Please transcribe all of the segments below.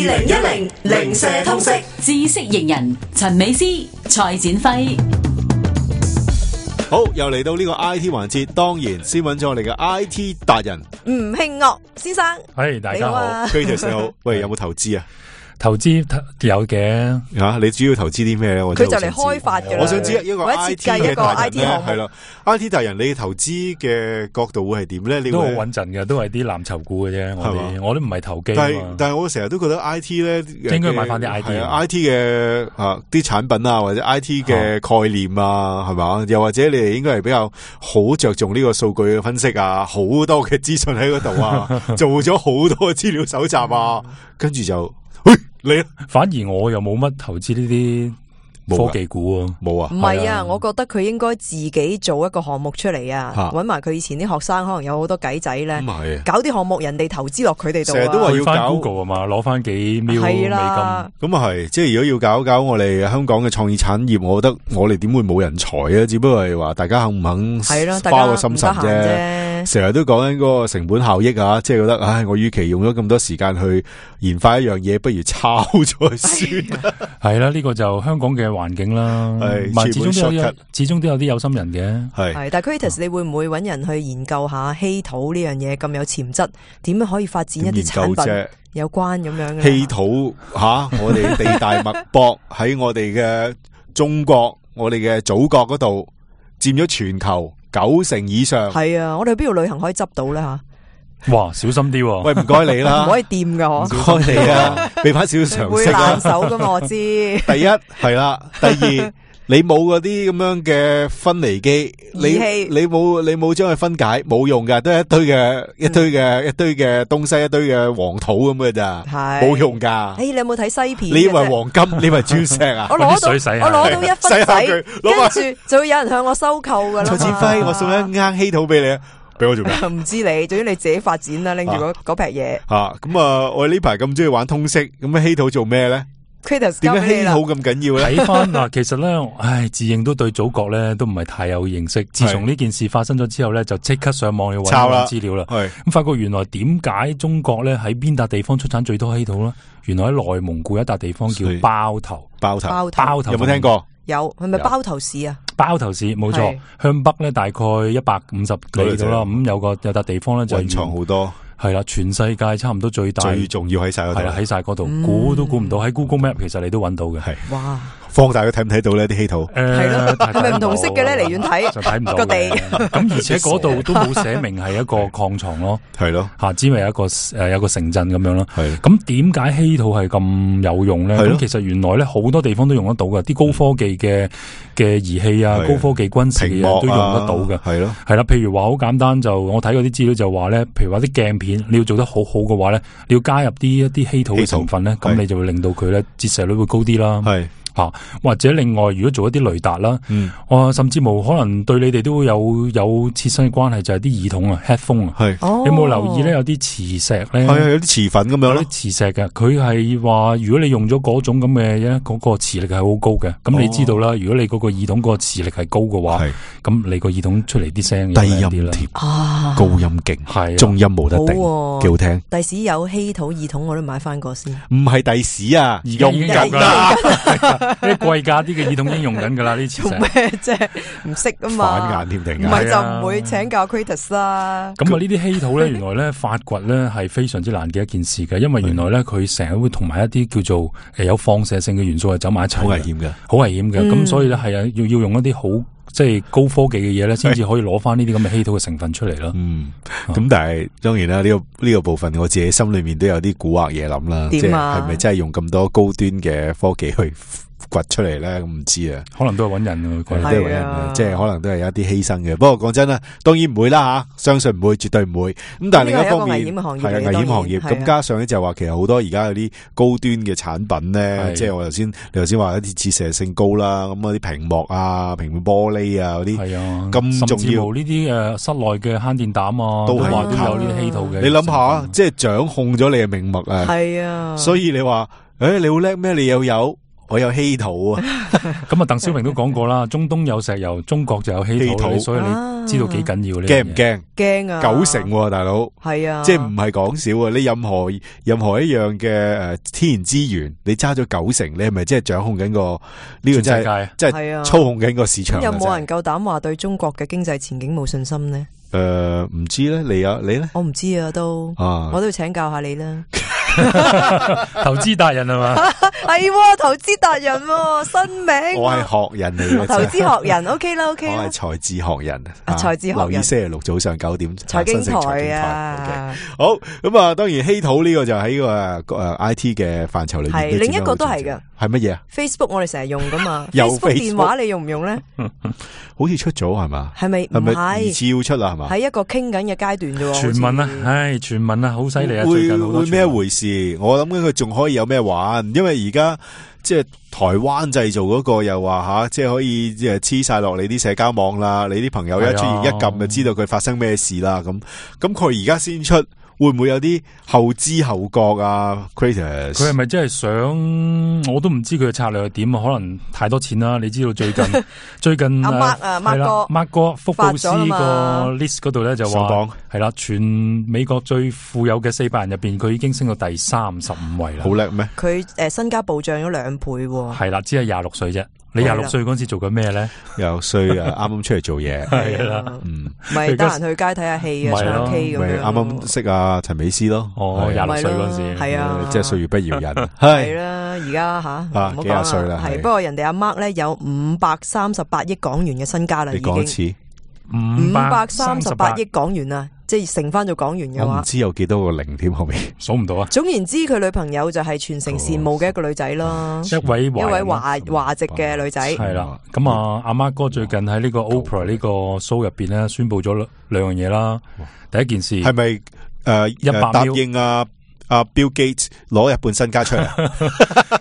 2010零舍通識知識型人陳美詩、蔡展輝。好，又嚟到呢個 IT 環節，當然先揾咗我哋嘅 IT 達人吳慶岳先生。係，大家好。 Curtis 你好，喂，有冇投資啊？投資有嘅吓，你主要投資啲咩咧？佢就嚟開發嘅啦。我想知一個 IT 嘅達人咧，係啦 ，IT 達人你投資嘅角度會係點咧？你都好穩陣嘅，都係啲藍籌股嘅啫。我都唔係投機。但係我成日都覺得 IT 咧，應該買翻啲 IT 嘅啲產品啊，或者 IT 嘅概念啊，係嘛？又或者你哋應該係比較好着重呢個數據嘅分析啊，好多嘅資訊喺嗰度啊，做咗好多資料搜集啊，跟住就。你反而我又冇乜投資呢啲科技股啊，冇啊，唔係啊，我覺得佢應該自己做一個項目出嚟啊，搵埋佢以前啲學生，可能有好多計仔咧，搞啲項目，人哋投資落佢哋度啊。成日都話要搞 Google 啊嘛，攞翻幾秒美金，咁啊係，即係如果要搞我哋香港嘅創意產業，我覺得我哋點會冇人才啊？只不過係話大家肯唔肯花個心神啫。成日都講緊嗰個成本效益啊，即係覺得，唉，我與其用咗咁多時間去研發一樣嘢，不如抄咗算。係啦，呢個就香港嘅環境啦。始終都有啲有心人嘅。係，但係 Curtis，你會唔會揾人去研究下稀土呢樣嘢咁有潛質？點樣可以發展一啲產品有關咁樣嘅？稀土我哋地大物博喺我哋嘅中國，我哋嘅祖國嗰度佔咗全球90%以上。係啊，我哋去邊度旅行可以執到咧吓？哇，小心啲喎！喂，唔該你啦，唔可以掂噶，唔該你啊，俾翻少少常識啊。會爛手噶嘛，我知。第一係啦，第二你冇嗰啲咁樣嘅分離機，你冇將佢分解，冇用噶，都係一堆嘅東西，一堆嘅黃土咁嘅咋，冇用噶。你有冇睇西片？你以為黃金？你以為鑽石啊？我攞到一分仔，跟住就會有人向我收購噶啦。蔡展輝，我送一罌稀土俾你啊！俾我做咩？唔知你，總之你自己發展啦，拎住嗰撇嘢。咁我呢排咁中意玩通識，咁稀土做咩咧？點解稀土咁緊要咧？睇翻嗱，其實咧，自認都對祖國咧都唔係太有認識。自從呢件事發生咗之後咧，就即刻上網去搵資料啦。咁發覺原來點解中國咧喺邊笪地方出產最多稀土咧？原來喺內蒙古一笪地方叫包頭。包頭有冇聽過？有，係咪包頭市啊？包頭市冇錯，向北咧大概150里度啦。咁有笪地方咧就蘊藏好多。係啦，全世界差唔多最大，最重要喺晒嗰度。係啦，喺晒嗰度，估都估唔到。喺 Google Map 其實你都揾到嘅。係，哇！放大佢睇唔睇到呢啲稀土？係咯，係咪唔同色嘅咧？離遠睇就睇唔到個地。咁而且嗰度都冇寫明係一個礦床咯。係咯，只係有個城鎮咁樣咯。係。咁點解稀土係咁有用咧？咁其實原來咧好多地方都用得到嘅，啲高科技嘅儀器啊，高科技軍事嘅嘢都用得到嘅。係咯，係啦。譬如話好簡單，就我睇嗰啲資料就話咧，譬如話啲鏡片你要做得好好嘅話咧，你要加入一啲稀土嘅成分咧，咁你就會令到佢咧折射率會高啲啦。係。或者另外如果做一啲雷達啦，甚至乎可能對你哋都會有切身嘅關係，就係啲耳筒啊 headphone 啊，你有冇留意咧？有啲磁石咧，係有啲磁粉咁樣，有啲磁石嘅，佢係話如果你用咗嗰種咁嘅嗰個磁力係好高嘅，咁你知道啦，如果你嗰個耳筒嗰個磁力係高嘅話，咁你個耳筒出嚟啲聲低音貼，高音勁，係中音冇得頂，幾好聽。第時有稀土耳筒我都買翻個先，唔係第時啊，而家用緊啦。啲貴價啲嘅耳筒已經用緊噶啦，呢次做咩啫？唔識啊嘛，反眼添定，唔係就唔會請教 Curtis 啦。咁呢啲稀土咧，原來咧發掘咧係非常之難嘅一件事嘅，因為原來咧佢成日會同埋一啲叫做有放射性嘅元素係走埋一齊，好危險嘅，好危險嘅。咁所以咧係要用一啲好即係高科技嘅嘢咧，先至可以攞翻呢啲咁嘅稀土嘅成分出嚟咯。咁但係當然啦，呢個部分我自己心裏面都有啲蠱惑嘢諗啦，即係係咪真係用咁多高端嘅科技去掘出嚟咧？咁唔知啊，可能都係揾人都係揾人即係可能都係有一啲犧牲嘅。不過講真啦，當然唔會啦吓，相信唔會，絕對唔會。咁但係另一方面，危險嘅行業，係啊，危險行業。咁加上咧就話，其實好多而家有啲高端嘅產品咧，即係你頭先話一啲折射性高啦，咁嗰啲屏幕啊、平面玻璃啊嗰啲，係啊，咁重要呢啲室內嘅慳電膽啊，都話都有呢啲稀土嘅。你諗下，即係掌控咗你嘅命脈啊，係啊，所以你話，你好叻咩？你又有。我有稀土啊。咁啊，鄧小平都講過啦，中東有石油，中國就有稀土，所以你知道幾緊要呢？驚唔驚？驚啊！90%大佬，係啊，即係唔係講少啊！你任何一樣嘅天然資源，你揸咗90%，你係咪即係掌控緊個呢個真係操控緊個市場？有冇人夠膽話對中國嘅經濟前景冇信心呢？唔知咧，你咧？我唔知啊，我都要請教下你啦。投資達人係嘛？係投資達人新名。我係學人嚟嘅，投資學人 OK 啦。我係財智學人，財智學人。留意星期六早上9點財經台啊。好咁啊，當然稀土呢個就喺個IT 嘅範疇裏面。係另一個都係嘅。係乜嘢 ？Facebook 我哋成日用噶嘛。Facebook 電話你用唔用咧？好似出咗係嘛？係咪？唔係，疑似要出啦係嘛？喺一個傾緊嘅階段啫。傳聞啊，傳聞啊，好犀利啊！最近會咩回事？我諗緊佢仲可以有咩玩？因為而家即係台灣製造嗰個又話即係可以黐晒落你啲社交網啦，你啲朋友一出現一撳就知道佢發生咩事啦。咁佢而家先出。會唔會有啲後知後覺啊 ？Creators 佢係咪真係想？我都唔知佢嘅策略係點啊！可能太多錢啦。你知道最近阿 Mark 哥福布斯個 list 嗰度咧就話係啦，全美國最富有嘅400人入邊，佢已經升到第35位啦。好叻咩？佢身家暴漲咗2倍。係啦，只係26歲啫。你26歲嗰陣時做緊咩咧？26歲啊，啱啱出嚟做嘢。係啦，咪得閒去街睇下戲啊，唱 K 咁樣。啱啱識阿陳美斯咯。26歲嗰陣時，係啊，即係歲月不饒人。係啦，而家吓，幾廿歲啦。係不過人哋阿 Mark 咧有538億港元嘅身家啦，已經。你講一次，538億港元啊！即係乘翻做港元嘅話，我唔知有幾多個零添後面數唔到啊。總言之，佢女朋友就係全城羨慕嘅一個女仔咯，一位華籍嘅女仔。係啦，咁阿Mark哥最近喺呢個 Oprah 呢個 show 入邊咧，宣布咗2樣嘢啦。第一件事係咪答應阿 Bill Gates 攞日本身家出嚟？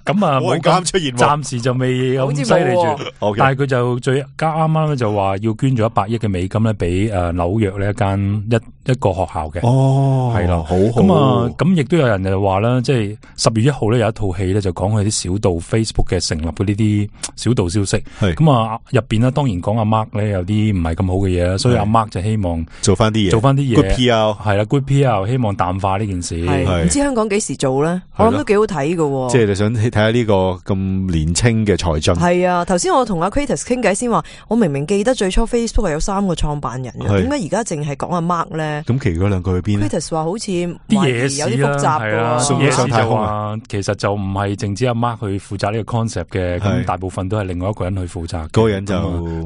咁啊冇咁出現，暫時就未咁犀利住。但係佢就啱啱咧就話要捐咗100億嘅美金咧俾紐約呢一個學校嘅。係啦，好咁亦都有人就話啦，即係10月1號咧有一套戲咧就講佢啲小道 Facebook 嘅成立嘅呢啲小道消息。咁入邊咧當然講阿 Mark 咧有啲唔係咁好嘅嘢啦，所以阿 Mark 就希望做翻啲嘢 Good PR 係啦 Good PR 希望淡化呢件事。唔知香港幾時做咧？我諗都幾好睇㗎。即係你想睇下呢個咁年輕嘅才俊。係啊，頭先我同阿 Creators 傾偈先話，我明明記得最初 Facebook 係有3個創辦人嘅，點解而家淨係講阿 Mark 咧？咁其餘嗰2個去邊 Creators 話好似啲嘢事有啲複雜嘅，嘢事就話其實就唔係淨止阿 Mark 去負責呢個 concept 嘅，咁大部分都係另外一個人去負責。嗰個人就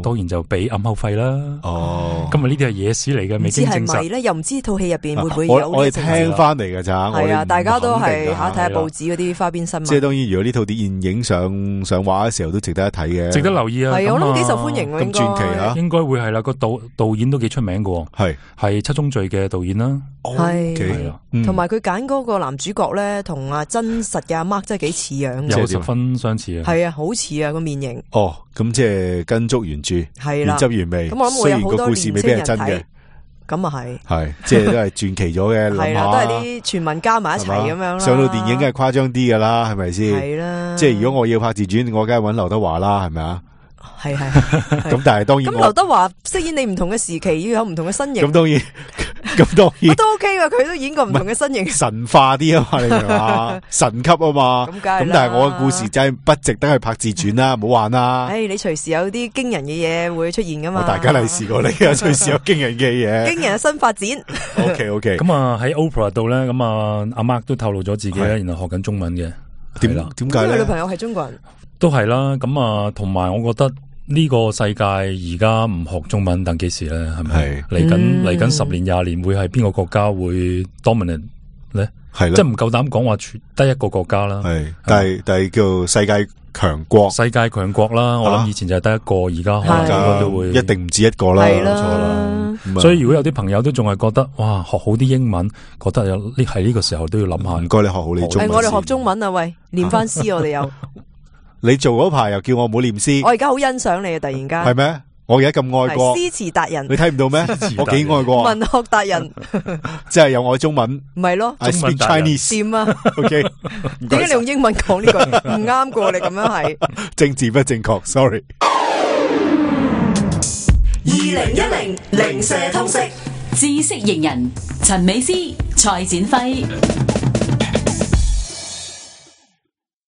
當然就俾暗口費啦。今日呢啲係野史嚟嘅，未經證實。唔知係咪咧？又唔知套戲入邊會唔會有？我哋聽翻嚟嘅咋？係啊，大家都係睇下報紙嗰啲花邊新聞。即係當然，如果呢套電影上畫嘅時候，都值得一睇嘅，值得留意啊！係我諗幾受歡迎喎，咁傳奇啊，應該會係啦。個導演都幾出名嘅，係七宗罪嘅導演啦。係同埋佢揀嗰個男主角咧，同真實嘅阿 Mark 真係幾似樣，有10分相似啊。係啊，好似啊個面型。咁即係跟足原著，原汁原味。咁我諗會有好多年青人睇。咁啊係，即係都係傳奇咗嘅。係啦，都係啲傳聞加埋一齊咁樣啦。上到電影梗係誇張啲噶啦，係咪先？係啦。即係如果我要拍自傳，我梗係揾劉德華啦，係咪啊？係。咁但係當然，咁劉德華飾演你唔同嘅時期，要有唔同嘅身形。咁當然。我都 OK 噶，佢都演過唔同嘅身形，神化啲啊嘛，你明嘛？神級啊嘛，咁但係我嘅故事真係不值得去拍自傳啦，唔好玩啦。你隨時有啲驚人嘅嘢會出現噶嘛？大家嚟試過你啊，隨時有驚人嘅嘢，驚人嘅新發展。OK。咁喺 Oprah 度咧，咁阿 Mark 都透露咗自己咧，然後學緊中文嘅。點解咧？佢女朋友係中國人，都係啦。咁同埋我覺得。呢個世界而家唔學中文，等幾時咧？係咪嚟緊10年20年會係邊個國家會 dominant 咧？係即係唔夠膽講話得一個國家啦。但係叫世界強國。世界強國啦，我諗以前就係得一個，而家可能都會一定唔止一個啦。係啦，冇錯啦。所以如果有啲朋友都仲係覺得哇，學好啲英文，覺得係呢個時候都要諗下。唔該，你學好你中文。我哋學中文啊，喂，念翻詩我哋有。你做嗰排又叫我唔好念詩，我而家好欣賞你啊！突然間係咩？我而家咁愛國，詩詞達人，你睇唔到咩？我幾愛國，文學達人，即係有愛中文，唔係咯？I speak Chinese，掂啊 ？OK， 點解你用英文講呢個唔啱過？你咁樣係政治不正確 ，sorry。2010零舍通識，知識型人陳美詩、蔡展輝。